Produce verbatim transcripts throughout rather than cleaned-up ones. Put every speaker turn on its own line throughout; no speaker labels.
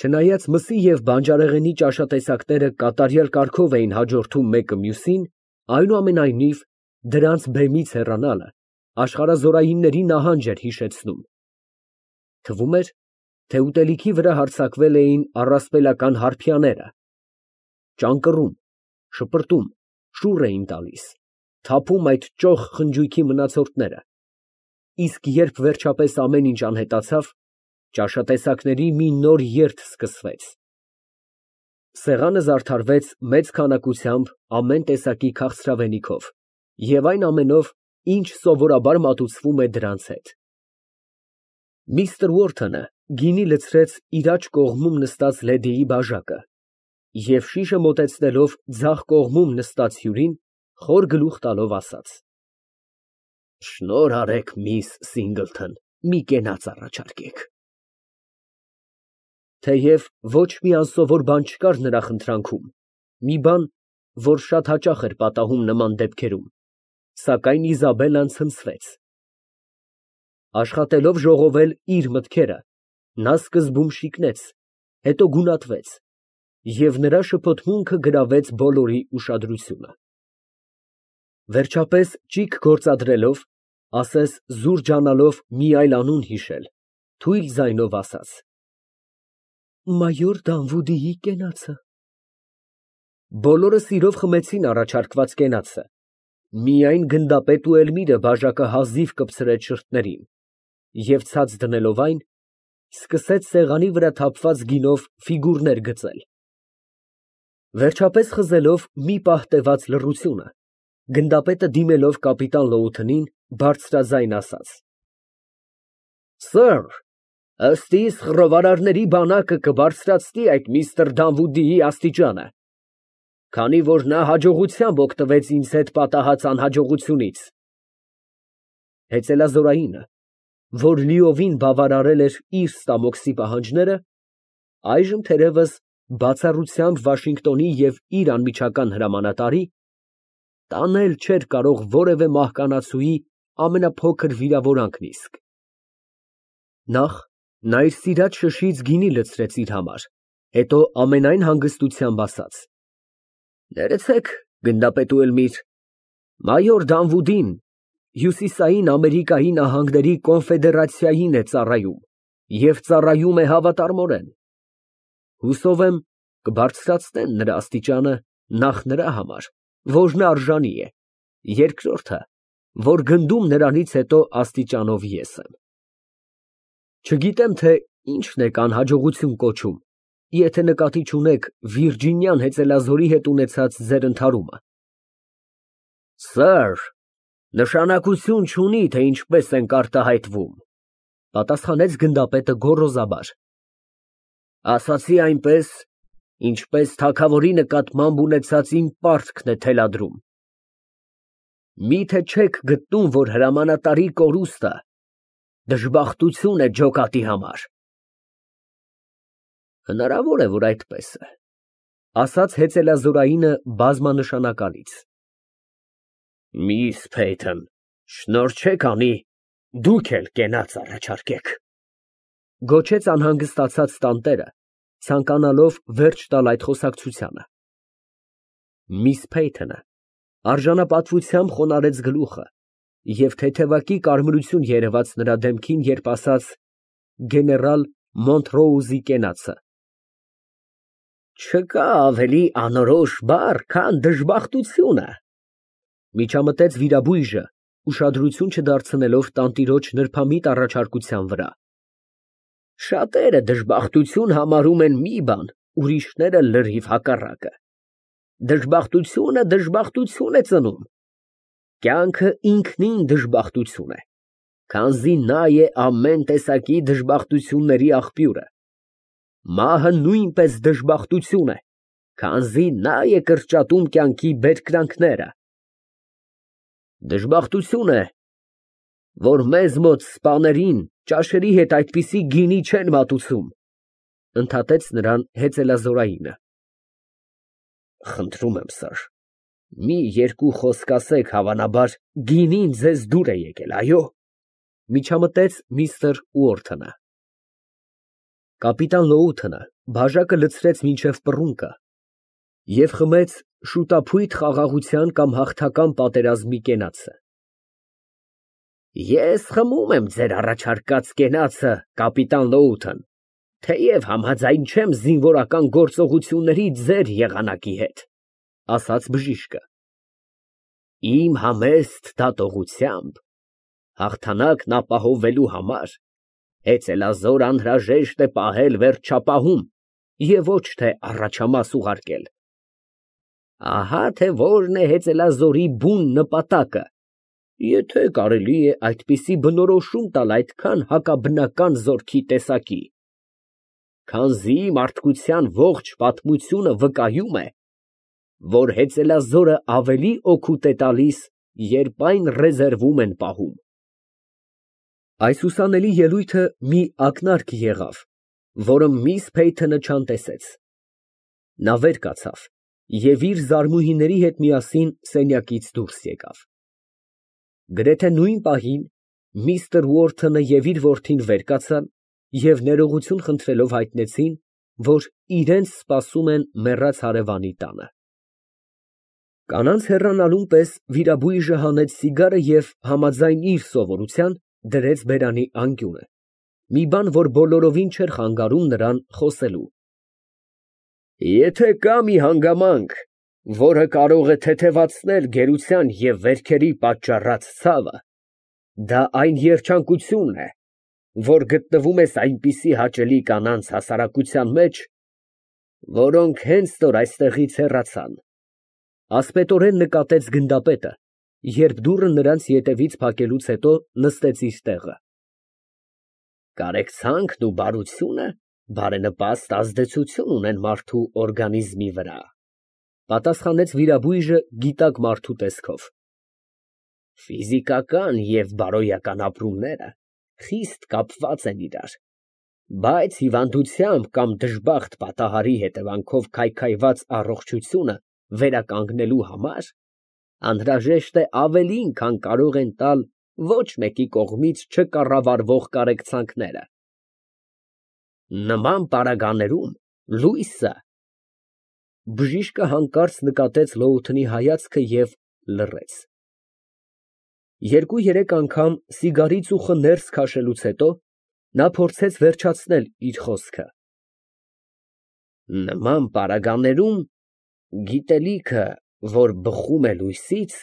Չնայած մսի և բանջարեղենի ճաշատեսակները կատարյալ կարգով էին հաջորդում մեկը մյուսին, այնուամենայնիվ, դրանց բեմից հեռանալը աշխարհազորայինների նահանջ էր հիշեցնում. թվում էր, թե ուտելիքի վրա հարձակվել էին առասպելական հարբյաները, ճանկռում, շպրտում, շուռ էին տալիս, թափում այդ ճոխ խնջույքի մնացորդները, իսկ երբ վերջապես ամեն ինչ անհետացավ, ճաշատեսակների մի նոր երթ սկսվեց. սեղանը զարդարվեց մեծ քանակությամբ ամեն տեսակի քաղցրավենիքով և այն ամենով, ինչ սովորաբար մատուցվում է դրանց հետ։ Միստր Ուորթոնը գինի լցրեց իր աջ կողմում նստած լեդիի բաժակը և շիշը մոտեցնելով ձախ կողմում նստած հյուրին, խոր գլուխ տալով ասաց. Շնորհ արեք, միս Սինգլթոն, մի կենաց առաջարկեք։ Թեև ոչ մի անսովոր բան չկար նրա խնդրանքում, մի բան, որ շատ հաճախ էր պատահում նման դեպքերում, սակայն Իզաբելլան ցնցվեց։ Աշխատելով ժողովել իր մտքերը, նա սկզբում շիկնեց, հետո գունատվեց, և նրա շփոթմունքը գրավեց բոլորի ուշադրությունը։ Վերջապես, ճիգ գործադրելով, ասես զուր ջանալով մի այլ անուն հիշել, թույլ ձայնով ասաց. Մայոր Դանվուդիի կենացը։ Բոլորը սիրով խմեցին առաջարկված կենացը, միայն գնդապետ ու Էլմիրը բաժակը հազիվ կպցրեց շրթներին և ցած դնելով այն, սկսեց սեղանի վրա թափված գինով ֆիգուրներ գծել։ Վերջապես խզելով մի պահ տևած լռությունը, գնդապետը դիմելով կապիտան Լոութընին, բարձրաձայն ասաց. Սըր, ըստ իս խռովարարների բանակը կբարձրացնի այդ միստր Դանվուդիի աստիճանը, քանի որ նա հաջողությամբ օգտվեց ինձ հետ պատահած անհաջողությունից։ Հեծելազորայինը, որ լիովին բավարարել էր իր ստամոքսի պահանջները, այժմ թերևս բացառությամբ Վաշինգտոնի և իր անմիջական հրամանատարի, տանել չէր կարող որևէ մահկանացուի ամենափոքր վիրավորանքն իսկ։ Նախ նա իր սիրած շշից գինի լցրեց իր համար, հետո ամենայն հանգստությամբ ասաց. Ներեցեք, գնդապետ Էլմիր, մայոր Դանվուդին Հյուսիսային Ամերիկայի նահանգների կոնֆեդերացիային է ծառայում և ծառայում է հավատարմորեն։ Հուսով եմ, կբարձրացնեն նրա աստիճանը նախ նրա համար, որն արժանի է, երկրորդը, որ գնդում նրանից հետո աստիճանով ես եմ։ Չգիտեմ, թե ինչն եք անհաջողություն կոչում, եթե նկատի չունեք Վիրջինյան հեծելազորի հետ ունեցած ձեր ընդհարումը։ Սըր, նշանակություն չունի, թե ինչպես ենք արտահայտվում, պատասխանեց գնդապետը գոռոզաբար։ Ասացի այնպես, ինչպես թագավորի նկատմամբ ունեցած իմ պարտքն է թելադրում։ Միթե չեք գտնում, որ հրամանատարի կորուստը դժբախտություն է ջոկատի համար։ Հնարավոր է, որ այդպես է, ասաց հեծելազորայինը բազմանշանակալից։ Միս Փեյթոն, շնորհ չեք անի, դուք էլ կենաց առաջարկեք, գոչեց անհանգստացած տանտերը, ցանկանալով վերջ տալ այդ խոսակցությանը։ Միս Փեյթոնը արժանապատվությամբ խոնարհեց գլուխը և թեթևակի կարմրություն երևաց նրա դեմքին, երբ ասաց. գեներալ Մոնտրոուզի կենացը։ Չկա ավելի անորոշ բառ, քան դժբախտությունը, միջամտեց վիրաբույժը, ուշադրություն չդարձնելով տանտիրոջ նրբամիտ առաջարկության վրա։ Շատերը դժբախտություն համարում են մի բան, ուրիշները լրիվ հակառակը։ Դժբախտությունը դժբախտություն է ծնում։ Կյանքը ինքնին դժբախտություն է, քանզի նա է ամեն տեսակի դժբախտությունների աղբյուրը։ Մահը նույնպես դժբախտություն է, քանզի նա է կրճատում կյանքի բերկրանքները։ Դժբախտություն է, որ մեզ մոտ սպաներին ճաշերի հետ այդպիսի գինի չեն մատուցում, ընդհատեց նրան հեծելազորայինը։ Խնդրում եմ, սըր, մի երկու խոսք ասեք, հավանաբար գինին ձեզ դուր է եկել, այո, միջամտեց միստր Ուորթոնը։ Կապիտան Լոութոնը Բաժակը լցրեց մինչև պռունկը և խմեց շուտափույթ խաղաղության կամ հաղթական պատերազմի կենացը։ Ես խմում եմ ձեր առաջարկած կենացը, կապիտան Լոութոն, թեև համաձայն չեմ զինվորական գործողությունների ձեր եղանակի հետ, ասաց բժիշկը։ Իմ համեստ դատողությամբ հաղթանակն ապահովելու համար հեծելազոր անհրաժեշտ է պահել վերջապահում և ոչ թե առաջամաս ուղարկել։ Ահա թե որն է հեծելազորի բուն նպատակը, եթե կարելի է այդպիսի բնորոշում տալ այդքան հակաբնական զորքի տեսակի, քանզի մարդկության ողջ պատմությունը վկայում է, որ հեծելազորը ավելի օգուտ է տալիս, երբ այն ռեզերվում են պահում։ Այս ուսանելի ելույթը մի ակնարկ եղավ, որը միս Փեյթոնը չանտեսեց։ Նա վեր կացավ և իր զարմուհիների հետ միասին սենյակից դուրս եկավ։ Գրեթե նույն պահին միստր Ուորթոնը և իր որդին վեր կացան և ներողություն խնդրելով հայտնեցին, որ իրենց սպասում են մեռած հարևանի տանը։ Կանանց հեռանալուն պես վիրաբույժը հանեց սիգարը և համաձայն իր սովորության դրեց բերանի անկյունը, մի բան, որ բոլորովին չէր խանգարում նրան խոսելու։ Եթե կա մի հանգամանք, որը կարող է թեթևացնել գերության և վերքերի պատճառած ցավը, դա այն երջանկությունն է, որ գտնվում ես այնպիսի հաճելի կանանց հասարակության մեջ, որոնք հենց որ այստեղից հեռացան, ասպետորեն նկատեց գնդապետը, երբ դուռը նրանց ետևից փակելուց հետո նստեց իր տեղը։ Կարեկցանքն ու բարությունը բարենպաստ ազդեցություն ունեն մարդու օրգանիզմի վրա, պատասխանեց վիրաբույժը գիտակ մարդու տեսքով։ Ֆիզիկական և բարոյական ապրումները խիստ կապված են իրար, բայց հիվանդությամբ կամ դժբախտ պատահարի հետևանքով քայքայված առողջությունը վերականգնելու համար անհրաժեշտ է ավելին, քան կարող են տալ ոչ մեկի կողմից չկառավարվող կարեկցանքները։ Նման պարագաներում լույսը… Բժիշկը հանկարծ նկատեց Լոութոնի հայացքը և լռեց։ Երկու֊երեք անգամ սիգարի ծուխը ներս քաշելուց հետո նա փորձեց վերջացնել իր խոսքը։ Նման պարագաներում գիտելիքը, որ բխում է լույսից…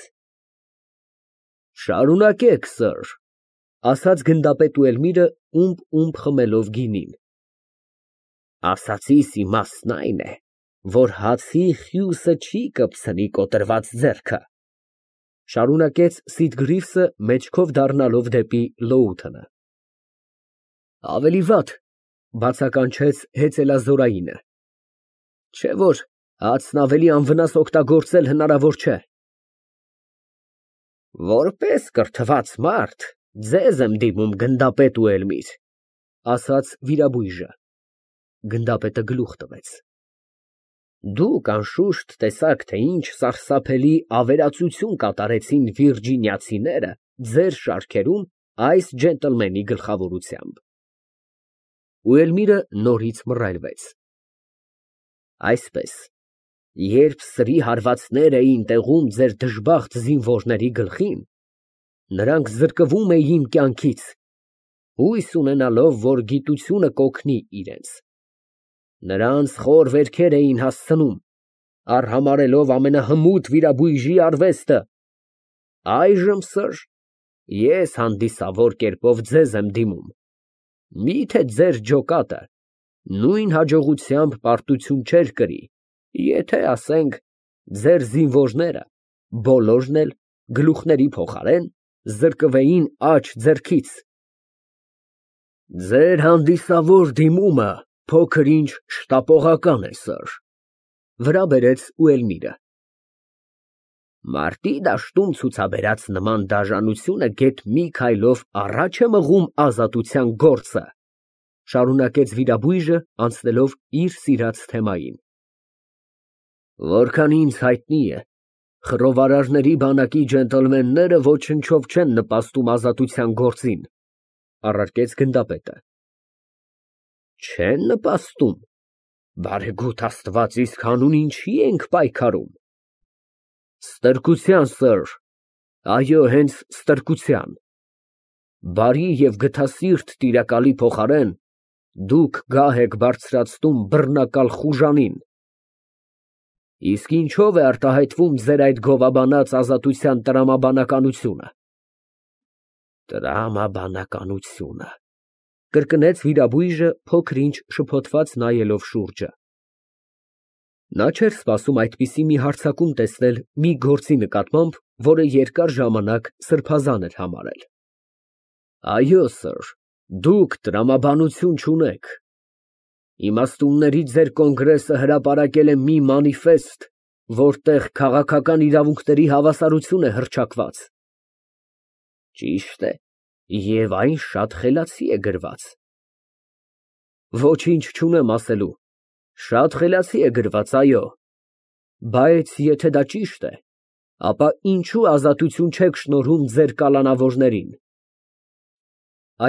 Շարունակեք, սըր, ասաց գնդապետ Ուելմիրը, ումպ֊ումպ խմելով գինին։ Ասածիս իմաստն այն է, որ հացի խյուսը չի կպցնի կոտրված ձեռքը, շարունակեց Սիդգրիվսը մեջքով դառնալով դեպի Լոութոնը։ Ավելի վատ, բացականչեց հեծելազորայինը, չէ՞ որ հացն ավելի անվնաս օգտագործել հնարավոր չէ։ Որպես կրթված մարդ ձեզ եմ դիմում, գնդապետ Ուելմիր, ասաց վիրաբույժը։ Գնդապետը գլուխ տվեց։ Դուք անշուշտ տեսաք, թե ինչ սարսափելի ավերածություն կատարեցին վիրջինիացիները ձեր շարքերում այս ջենտլմենի գլխավորությամբ։ Ուելմիրը նորից մռայլվեց։ Այսպես, երբ սրի հարվածներ էին տեղում ձեր դժբախտ զինվորների գլխին, նրանք զրկվում էին կյանքից, հույս ունենալով, որ գիտությունը կօգնի իրենց։ Նրանց խոր վերքեր էին հասցնում, արհամարհելով ամենահմուտ վիրաբույժի արվեստը։ Այժմ, սըր, ես հանդիսավոր կերպով ձեզ եմ դիմում, միթե ձեր ջոկատը նույն հաջողությամբ պարտություն չէր կրի, եթե, ասենք, ձեր զինվորները բոլորն էլ գլուխների փոխարեն զրկվեին աջ ձեռքից։ Ձեր հանդիսավոր դիմումը փոքր֊ինչ շտապողական է, սըր, վրա բերեց Ուելմիրը։ Մարտի դաշտում ցուցաբերած նման դաժանությունը գեթ մի քայլով առաջ է մղում ազատության գործը, շարունակեց վիրաբույժը, անցնելով իր սիրած թեմային։ Որքան ինձ հայտնի է, խռովարարների բանակի ջենտլմենները ոչնչով չեն նպաստում ազատության գործին, առարկեց գնդապետը։ Չե՞ն նպաստում։ Բարեգութ Աստված, իսկ հանուն ինչի ենք պայքարում։ Ստրկության, սըր, այո, հենց ստրկության։ Բարի և գթասիրտ տիրակալի փոխարեն դուք գահ եք բարձրացնում բռնակալ խուժանին։ Իսկ ինչո՞վ է արտահայտվում ձեր այդ գովաբանած ազատության տրամաբանականությունը։ Տրամաբանականությունը, կրկնեց վիրաբույժը փոքր-ինչ շփոթված նայելով շուրջը։ Նա չէր սպասում այդպիսի մի հարձակում տեսնել մի գործի նկատմամբ, որը երկար ժամանակ սրբազան էր համարել։ Այո, սըր, դուք տրամաբանություն չունեք։ Իմաստունների ձեր կոնգրեսը հրապարակել է մի մանիֆեստ, որտեղ քաղաքական իրավունքների հավասարություն է հռչակված։ Ճիշտ է, և այն շատ խելացի է գրված։ Ոչինչ չունեմ ասելու, շատ խելացի է գրված, այո, բայց եթե դա ճիշտ է, ապա ինչու ազատություն չեք շնորհում ձեր կալանավորներին։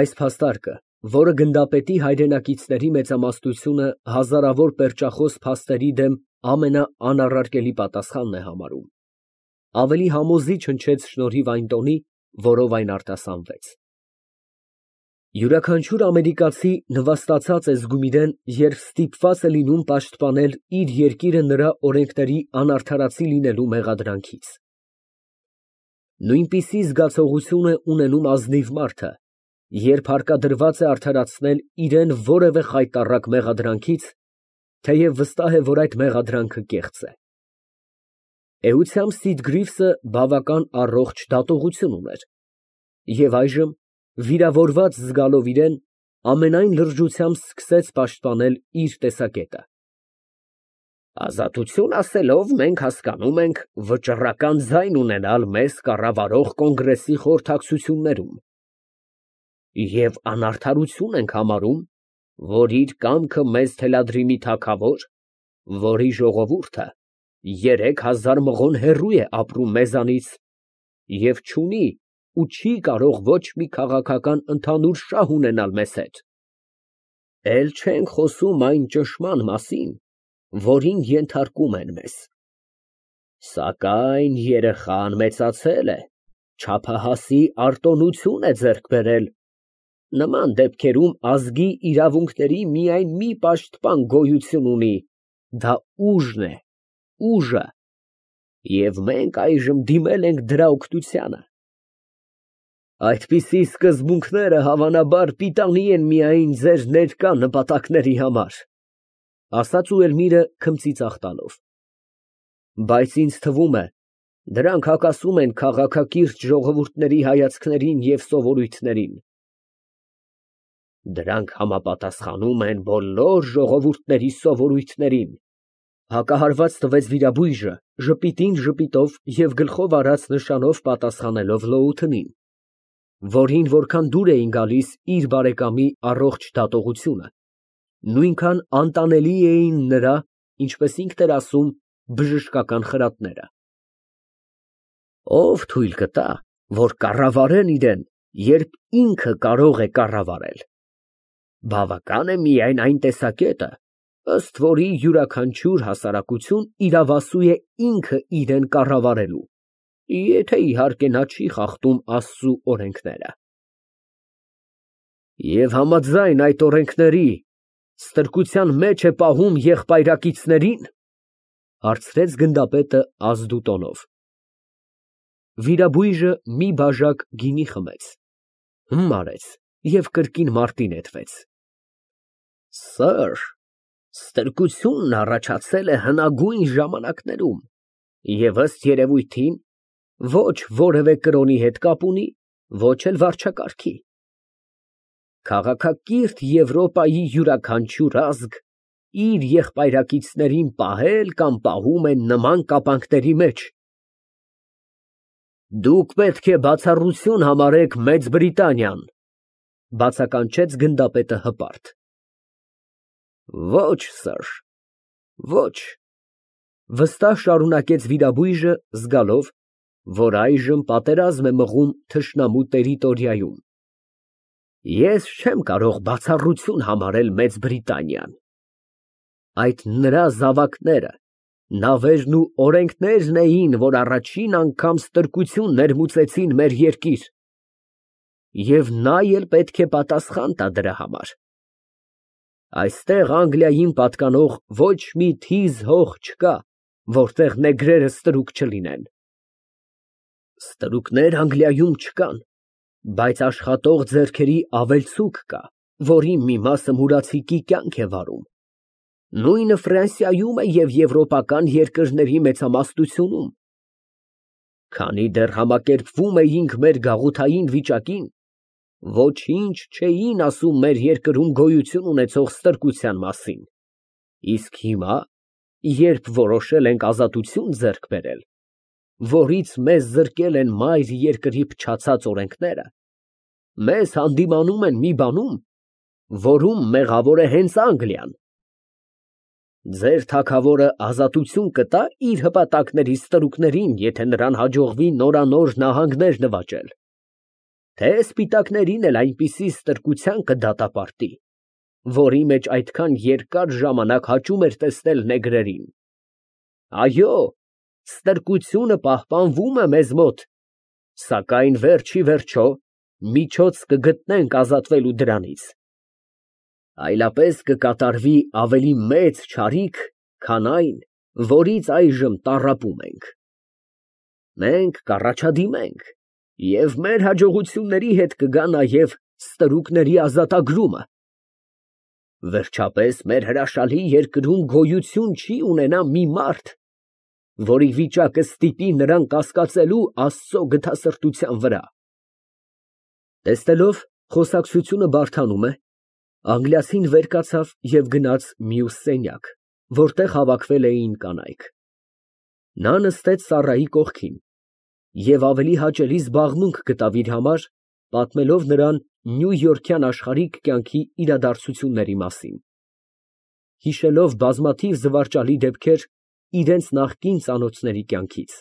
Այս փաստարկը, որը գնդապետի հայրենակիցների մեծամասնությունը հազարավոր պերճախոս փաստերի դեմ ամենաանառարկելի պատասխանն է համարում, ավելի համոզիչ հնչեց շնորհիվ այն տոնի, որով այն արտասանվեց։ Յուրաքանչյուր ամերիկացի նվաստացած է զգում իրեն, երբ ստիպված է լինում պաշտպանել իր երկիրը նրա օրենքների անարդարացի լինելու մեղադրանքից։ Նույնպիսի զգացողություն է ունենում ազնիվ մարդը, երբ հարկադրված է արդարացնել իրեն որևէ խայտառակ մեղադրանքից, թեև վստահ է, որ այդ մեղադրանքը կեղծ է։ Էությամբ Սիդգրիվսը բավական առողջ դատողություն ուներ, և այժմ, վիրավորված զգալով իրեն, ամենայն լրջությամբ սկսեց պաշտպանել իր տեսակետը։ Ազատություն ասելով, մենք հասկանում ենք վճռական ձայն ունենալ մեզ կառավարող կոնգրեսի խորհրդակցություններում և անարդարություն ենք համարում, որ իր կամքը մեզ թելադրի մի թագավոր, որի ժողովուրդը երեք հազար մղոն հեռու է ապրում մեզանից և չունի ու չի կարող ոչ մի քաղաքական ընդհանուր շահ ունենալ մեզ հետ, էլ չենք խոսում այն ճնշման մասին, որին ենթարկում են մեզ։ Սակայն երեխան մեծացել է, չափահասի արտոնություն է ձեռք բերել, նման դեպքերում ազգի իրավունքների միայն մի պաշտպան գոյություն ունի, դա ուժն է, ուժը, և մենք այժմ դիմել ենք դրա օգնությանը։ Այդպիսի սկզբունքները հավանաբար պիտանի են միայն ձեր ներկա նպատակների համար, ասաց Ուելմիրը քմծիծաղ տալով, բայց ինձ թվում է, դրանք հակասում են քաղաքակիրթ ժողովուրդների հայացքներին և սովորույթներին։ Դրանք համապատասխանում են բոլոր ժողովուրդների սովորույթներին, հակահարված տվեց վիրաբույժը, ժպիտին ժպիտով և գլխով արած նշանով պատասխանելով լոութնին, որին որքան դուր էին գալիս իր բարեկամի առողջ դատողությունը, նույնքան անտանելի էին նրա, ինչպես ինքն էր ասում, բժշկական խրատները։ Ո՞վ թույլ կտա, որ կառավարեն իրեն, երբ ինքը կարող է կառավարել։ Բավական է միայն այն տեսակետը, ըստ որի յուրաքանչյուր հասարակություն իրավասու է ինքը իրեն կառավարելու, եթե իհարկե նա չի խախտում Աստծու օրենքները։ Եվ համաձայն այդ օրենքների, ստրկության մեջ է պահում եղբայրակիցների՞ն, հարցրեց գնդապետը ազդու տոնով։ Վիրաբույժը մի բաժակ գինի խմեց, հմ արեց և կրկին մարտի նետվեց։ Սըր, ստրկությունն առաջացել է հնագույն ժամանակներում և ըստ երևույթին ոչ որևէ կրոնի հետ կապ ունի, ոչ էլ վարչակարգի։ Քաղաքակիրթ Եվրոպայի յուրաքանչյուր ազգ իր եղբայրակիցներին պահել կամ պահում է նման կապանքների մեջ։ Դուք պետք է բացառություն համարեք Մեծ Բրիտանիան, բացականչեց գնդապետը հպարտ։ Ոչ, սըր, ոչ, վստահ շարունակեց վիրաբույժը, զգալով, որ այժմ պատերազմ է մղում թշնամու տերիտորիայում։ Ես չեմ կարող բացառություն համարել Մեծ Բրիտանիան։ Այդ նրա զավակները, նավերն ու օրենքներն էին, որ առաջին անգամ ստրկություն ներմուծեցին մեր երկիր, և նա էլ պետք է պատասխան տա դրա համար։ Այստեղ Անգլիային պատկանող ոչ մի թիզ հող չկա, որտեղ նեգրերը ստրուկ չլինեն։ Ստրուկներ Անգլիայում չկան, բայց աշխատող ձեռքերի ավելցուկ կա, որի մի մասը մուրացիկի կյանք է վարում։ Նույնը Ֆրանսիայում է և եվրոպական երկրների մեծամասնությունում։ Քանի դեռ համակերպվում էինք մեր գաղութային վիճակին, ոչինչ չէին ասում մեր երկրում գոյություն ունեցող ստրկության մասին, իսկ հիմա, երբ որոշել ենք ազատություն ձեռք բերել, որից մեզ զրկել են մայր երկրի փչացած օրենքները, մեզ հանդիմանում են մի բանում, որում մեղավոր է հենց Անգլիան։ Ձեր թագավորը ազատություն կտա իր հպատակների ստրուկներին, եթե նրան հաջողվի նորանոր նահանգներ նվաճել, թե սպիտակներին էլ այնպիսի ստրկության կդատապարտի, որի մեջ այդքան երկար ժամանակ հաճում էր տեսնել նեգրերին։ Այո, ստրկությունը պահպանվում է մեզ մոտ, սակայն վերջ ի վերջո միջոց կգտնենք ազատվելու դրանից, այլապես կկատարվի ավելի մեծ չարիք, քան այն, որից այժմ տառապում ենք։ Մենք կառաջադիմենք, և մեր հաջողությունների հետ կգա նաև ստրուկների ազատագրումը։ Վերջապես մեր հրաշալի երկրում գոյություն չի ունենա մի մարդ, որի վիճակը ստիպի նրան կասկածելու Աստծո գթասրտության վրա։ Տեսնելով խոսակցությունը բարդանում է, անգլիացին վեր կացավ և գնաց մյուս սենյակ, որտեղ հավաքվել էին կանայք։ Նա նստեց Սառայի կողքին և ավելի հաճելի զբաղմունք գտավ իր համար, պատմելով նրան նյույորքյան աշխարհիկ կյանքի իրադարձությունների մասին, հիշելով բազմաթիվ զվարճալի դեպքեր իրենց նախկին ծանոթների կյանքից։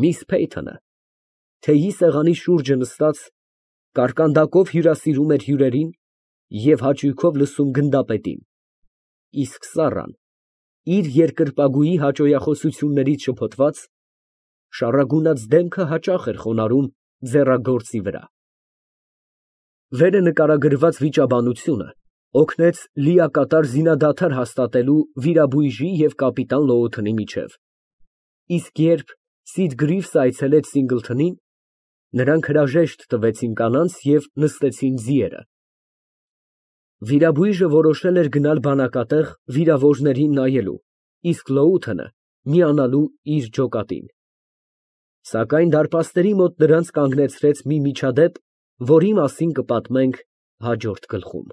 Միս Փեյթոնը թեյի սեղանի շուրջը նստած կարկանդակով հյուրասիրում էր հյուրերին և հաճույքով լսում գնդապետին, իսկ Սառան, իր երկրպագուի հաճոյախոսություններից շփոթված, շառագունած դեմքը հաճախ էր խոնարհում ձեռագործի վրա։ Վերը նկարագրված վիճաբանությունը օգնեց լիակատար զինադադար հաստատելու վիրաբույժի և կապիտան Լոութոնի միջև, իսկ երբ Սիդգրիվսը այցելեց Սինգլթոնին, նրանք հրաժեշտ տվեցին կանանց և նստեցին ձիերը։ Վիրաբույժը որոշել էր գնալ բանակատեղ վիրավորներին նայելու, իսկ Լոութոնը միանալու իր ջոկատին։ Սակայն դարպասների մոտ նրանց կանգնեցրեց մի միջադեպ, որի մասին կպատմենք հաջորդ գլխում։